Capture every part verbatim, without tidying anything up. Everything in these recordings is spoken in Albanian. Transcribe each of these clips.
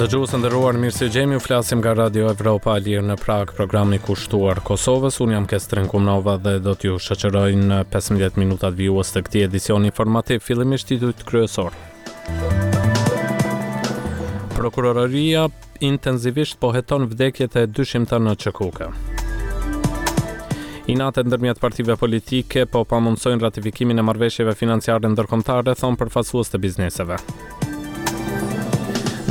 Dëgjues të nderuar, mirë se ju gjejmë. Ju flasim nga Radio Evropa e Lirë në Prag, programi kushtuar Kosovës. Unë jam Kestrin Kumnova dhe do t'ju shoqëroj në pesëmbëdhjetë minutat vijues të këtij edicioni informativ. Fillimisht titujt kryesor. Prokuroria intensivisht po heton vdekjet e dyshimta në Q K U K. Inatet ndërmjet partive politike po pamundësojnë ratifikimin e marrëveshjeve financiare ndërkombëtare, thonë përfaqësues të bizneseve.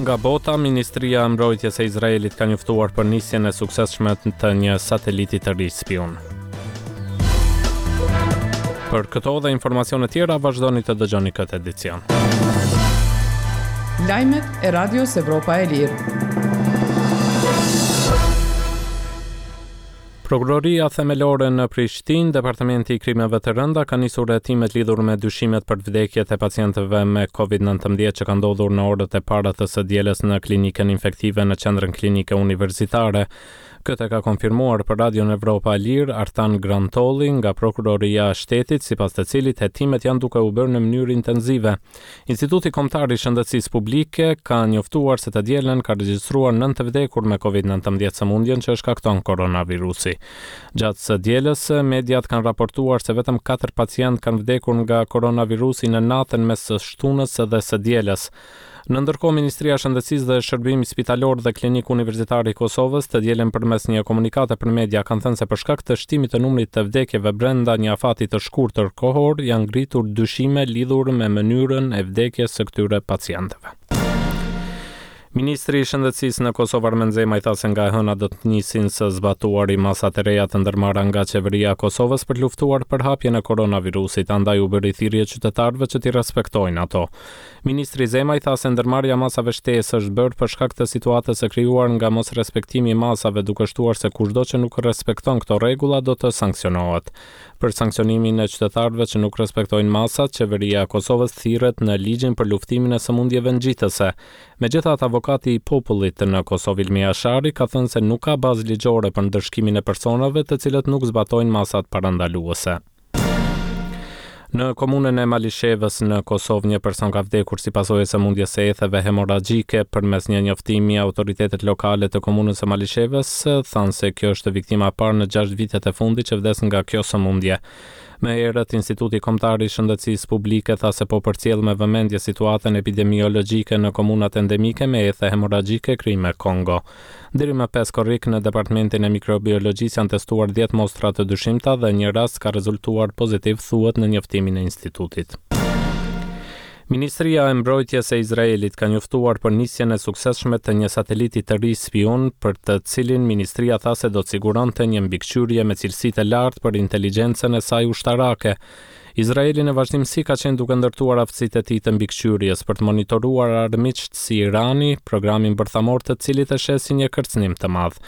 Nga bota, Ministria e Mbrojtjes e Izraelit ka njoftuar për nisjen e suksesshme të një sateliti të ri spiun. Për këto dhe informacione tjera vazhdoni të dëgjoni këtë edicion. Lajmet e Radios Evropa e Lirë. Prokuroria Themelore në Prishtinë, Departamenti i Krimeve të Rënda, ka nisur hetimet lidhur me dyshimet për vdekjet e pacientëve me Covid nëntëmbëdhjetë që ka ndodhur në orët e para të së dielës në klinikën infektive në Qendrën Klinike Universitare. Këtë ka konfirmuar për Radion Evropa e Lirë Artan Grantolli nga Prokuroria e Shtetit, sipas të cilit hetimet janë duke u bërë në mënyrë intensive. Instituti Kombëtar i Shëndetësisë Publike ka njoftuar se të dielën ka regjistruar nëntë të vdekur me Covid nëntëmbëdhjetë, sëmundjen që shkakton koronavirusi. Gjatë së dielës, mediat kanë raportuar se vetëm katër pacientë kanë vdekur nga koronavirusi në natën mes së shtunës dhe së dielës. Në ndërkohë, Ministria e Shëndetësisë dhe Shërbimi Spitalor dhe Klinik Universitar i Kosovës të dielën përmes një komunikate për media kanë thënë se për shkak të shtimit të numrit të vdekjeve brenda një afati të shkurtër kohor janë ngritur dyshime lidhur me mënyrën e vdekjes së këtyre pacientëve. Ministri i Shëndetësisë në Kosovë, Armend Zemaj, tha se nga e hëna do të nisin së zbatuari masat e reja të ndërmarra nga qeveria e Kosovës për luftuar përhapjen e koronavirusit, andaj u bëri thirrje qytetarëve që t'i respektojnë ato. Ministri Zemaj tha se ndërmarrja e masave shtesë është bërë për shkak të situatës së krijuar nga mosrespektimi i masave, duke shtuar se kushdo që nuk respekton këto rregulla do të sanksionohet. Për sanksionimin e qytetarëve që nuk respektojnë masat, qeveria e Kosovës thirret në ligjin për luftimin e sëmundjeve ngjitëse. Megjithatë, avokati i popullit në Kosovë, Ilmi Jashari, ka thënë se nuk ka bazë ligjore për ndëshkimin e personave të cilët nuk zbatojnë masat parandaluese. Në komunën e Malishevës në Kosovë një person ka vdekur si pasojë e sëmundjes së etheve hemorragjike. Përmes një njoftimi, autoritetet lokale të komunës së Malishevës thanë se kjo është viktima e parë në gjashtë vitet e fundit që vdes nga kjo sëmundje. Më herët, Instituti Kombëtar i Shëndetësisë Publike tha se po përcjell me vëmendje situatën epidemiologjike në komunat endemike me ethe hemorragjike Krime Kongo. Deri më pesë korrik në Departamentin e Mikrobiologjisë janë testuar dhjetë mostra të dyshimta dhe një rast ka rezultuar pozitiv, thuhet në njoftimin e institutit. Ministria e Mbrojtjes e Izraelit ka njoftuar për nisjen e suksesshme të një sateliti të ri spiun, për të cilin ministria tha se do të siguronte një mbikëqyrje me cilësi të lartë për inteligjencën e saj ushtarake. Izraeli në vazhdimësi ka qenë duke ndërtuar aftësitë e tij të mbikëqyrjes për të monitoruar armiqtë si Irani, programin bërthamor të cilit e sheh si një kërcënim të madh.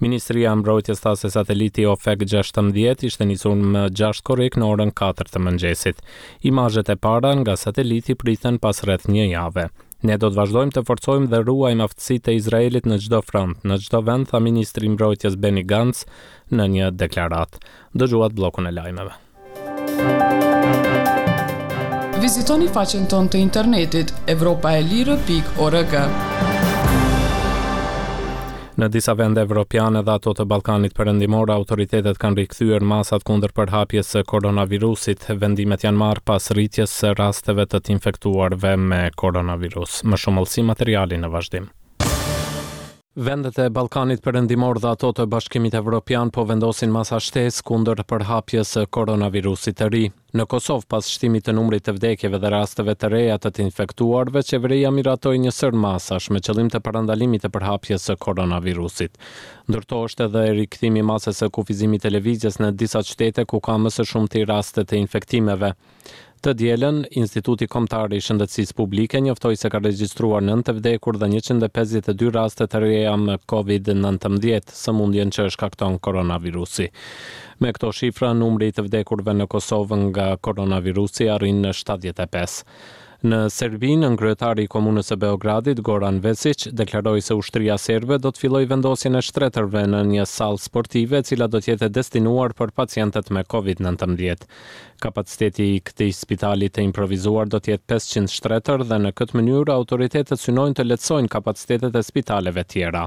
Ministria e Mbrojtjes tha se sateliti Ofek gjashtëmbëdhjetë ishte nisur më gjashtë korrik në orën katër të mëngjesit. Imazhet e para nga sateliti priten pas rreth një jave. "Ne do të vazhdojmë të forcojmë dhe ruajmë aftësitë e Izraelit në çdo front, në çdo vend", tha ministri i Mbrojtjes Benny Gantz në një deklaratë. Dëgjuat bllokun e lajmeve. Vizitoni faqen tonë të internetit evropaelire pikë org. Në disa vende evropiane dhe ato të Ballkanit Perëndimor, autoritetet kanë rikthyer masat kundër përhapjes së koronavirusit. Vendimet janë marrë pas rritjes së rasteve të të infektuarve me koronavirus. Më shumë hollësi materiali në vazhdim. Vendet e Ballkanit Perëndimor dhe ato të Bashkimit Evropian po vendosin masa shtesë kundër përhapjes së koronavirusit të ri. Në Kosovë, pas shtimit të numrit të vdekjeve dhe rasteve të reja të të infektuarve, qeveria miratoi një sërë masash me qëllim të parandalimit të përhapjes së koronavirusit. Ndër to është edhe rikthimi i masës së kufizimit të lëvizjes në disa qytete ku ka më së shumti raste të infektimeve. Të dielën, Instituti Kombëtar i Shëndetësisë Publike njoftoi se ka regjistruar nëntë të vdekur dhe njëqind e pesëdhjetë e dy raste të reja me Covid nëntëmbëdhjetë, sëmundjen që shkakton koronavirusi. Me këto shifra, numri i të vdekurve në Kosovë nga koronavirusi arrin në shtatëdhjetë e pesë. Në Serbi, nënkryetari i komunës së Beogradit, Goran Vesic, deklaroi se ushtria serbe do të fillojë vendosjen e shtretërve në një sallë sportive, e cila do të jetë e destinuar për pacientët me Covid nëntëmbëdhjetë. Kapaciteti i këtij spitali të improvizuar do të jetë pesëqind shtretër dhe në këtë mënyrë autoritetet synojnë të lehtësojnë kapacitetet e spitaleve tjera.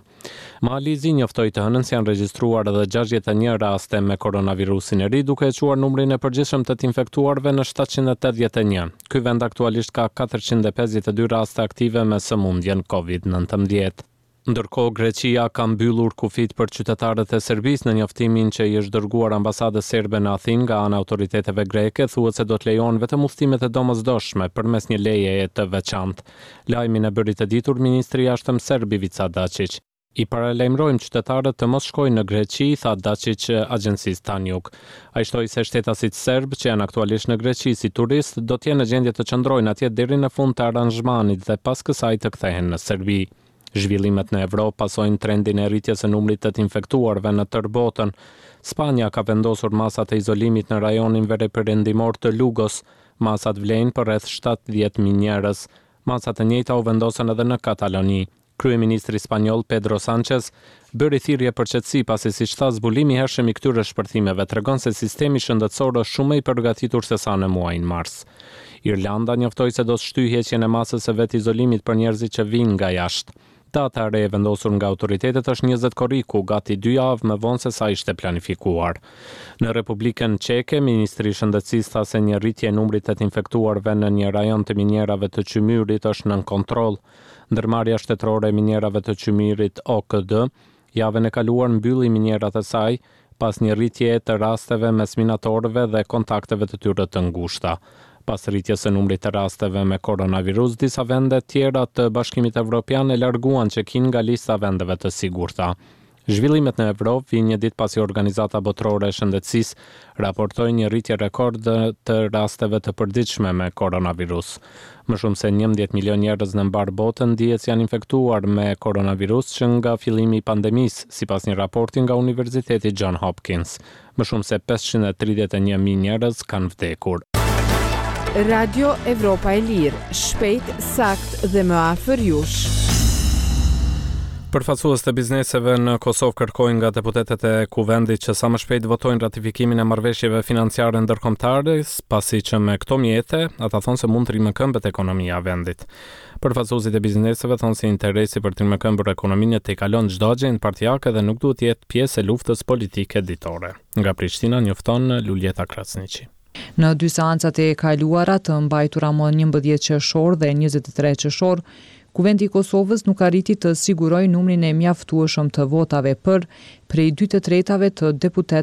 Mali i Zi njoftoi të hënën se janë regjistruar edhe gjashtëdhjetë e një raste me koronavirusin e ri, duke e çuar numrin e përgjithshëm të të infektuarve në shtatëqind e tetëdhjetë e një. Ky vend aktualisht ka katërqind e pesëdhjetë e dy raste aktive me sëmundjen Covid nëntëmbëdhjetë. Ndërkohë, Greqia ka mbyllur kufijtë për qytetarët e Serbisë. Në njoftimin që i është dërguar ambasadës serbe në Athinë nga ana e autoriteteve greke, thuhet se do të lejohen vetëm udhëtimet e domosdoshme përmes një lejeje të veçantë. Lajmin e bëri të ditur ministri i Jashtëm serb Ivica Daçiq. I paralajmërojmë qytetarët të mos shkojnë në Greqi, tha Daçiq agjencisë Tanjug. Ai shtoi se shtetasit serbë që janë aktualisht në Greqi si turistë do të jenë në gjendje të qëndrojnë atje deri në fund të aranzhmanit dhe pas kësaj të kthehen në Serbi. Zhvillimet në Evropë pasojnë trendin e rritjes së numrit të të infektuarve në tërë botën. Spanja ka vendosur masat e izolimit në rajonin veriperëndimor të Lugos. Masat vlejnë për rreth shtatëdhjetë mijë njerëz. Masat e njëjta u vendosën edhe në Kataloni. Kryeministri spanjoll Pedro Sanchez bëri thirrje për qetësi pasi, siç tha, zbulimi i hershëm i këtyre shpërthimeve tregon se sistemi shëndetësor është shumë më i përgatitur se sa në muajin mars. Irlanda njoftoi se do të shtyjë heqjen e masës së vetizolimit për njerëzit që vijnë nga jashtë. Data e re e vendosur nga autoritetet është njëzet korriku, gati dy javë më vonë se sa ishte planifikuar. Në Republikën Çeke, Ministri i Shëndetësisë tha se një rritje e numrit të të infektuarve në një rajon të minierave të qymyrit është nën kontroll. Ndërmarrja shtetërore e minierave të qymyrit O K D javën e kaluar mbylli minierat e saj pas një rritje të rasteve mes minatorëve dhe kontakteve të tyre të ngushta. Pas rritjes së numrit të rasteve me koronavirus, disa vende tjera të Bashkimit Evropian e larguan Çekinë nga lista e vendeve të sigurta. Zhvillimet në Evropë vijnë një ditë pasi Organizata Botërore e Shëndetësisë raportoi një rritje rekord të rasteve të përditshme me koronavirus. Më shumë se njëmbëdhjetë milion njerëz në mbar botën dihet se janë infektuar me koronavirus që nga fillimi i pandemisë, sipas një raporti nga Universiteti John Hopkins. Më shumë se pesëqind e tridhjetë e një mijë njerëz kanë vdekur. Radio Evropa e Lirë, shpejt, sakt dhe më afër jush. Përfaqësues të bizneseve në Kosovë kërkojnë nga deputetët e Kuvendit që sa më shpejt votojnë ratifikimin e marrëveshjeve financiare ndërkombëtare, pasi që me këto mjete ata thonë se mund të rimëkëmbet ekonomia e vendit. Përfaqësuesit e bizneseve thonë se interesi për të rimëkëmbur ekonominë tejkalon çdo agjendë partiake dhe nuk duhet të jetë pjesë e luftës politike ditore. Nga Prishtina njofton Luljeta Krasniqi. Në dy seancat e kaluara të mbajtura më njëmbëdhjetë qershor dhe njëzet e tre qershor, Kuvendi i Kosovës nuk arriti të sigurojë numrin e mjaftueshëm të votave për prej dy të tretave të deputetëve